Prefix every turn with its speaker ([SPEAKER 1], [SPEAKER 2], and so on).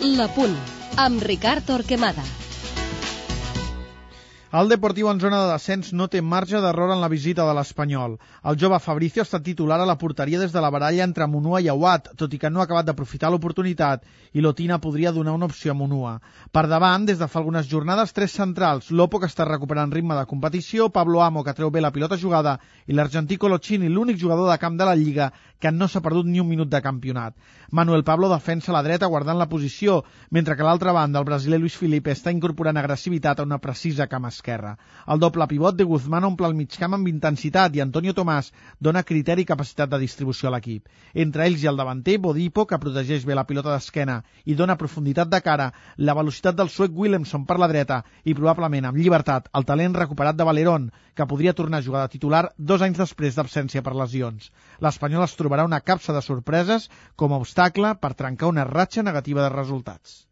[SPEAKER 1] La Punt, amb Ricard Torquemada.
[SPEAKER 2] El Deportiu en zona de descens no té marge d'error en la visita de l'Espanyol. El jove Fabrizio ha estat titular a la porteria des de la baralla entre Munua i Aouat, tot i que no ha acabat d'aprofitar l'oportunitat, i Lotina podria donar una opció a Munua. Per davant, des de fa algunes jornades, 3 centrals: Lopo, que està recuperant ritme de competició, Pablo Amo, que treu bé la pilota jugada, i l'argentí Coloccini, l'únic jugador de camp de la Lliga que no s'ha perdut ni un minut de campionat. Manuel Pablo defensa a la dreta guardant la posició, mentre que a l'altra banda el brasiler Luis Felipe està incorporant agressivitat a una precisa cama esquerra. El doble pivot de Guzmán omple el migcamp amb intensitat i Antonio Tomàs dona criteri i capacitat de distribució a l'equip. Entre ells i el davanter, Bodipo, que protegeix bé la pilota d'esquena i dona profunditat de cara, la velocitat del suec Willemson per la dreta i probablement amb llibertat el talent recuperat de Valerón, que podria tornar a jugar de titular 2 anys després d'absència per lesions. L'Espanyol es trobarà una capsa de sorpreses com a obstacle per trencar una ratxa negativa de resultats.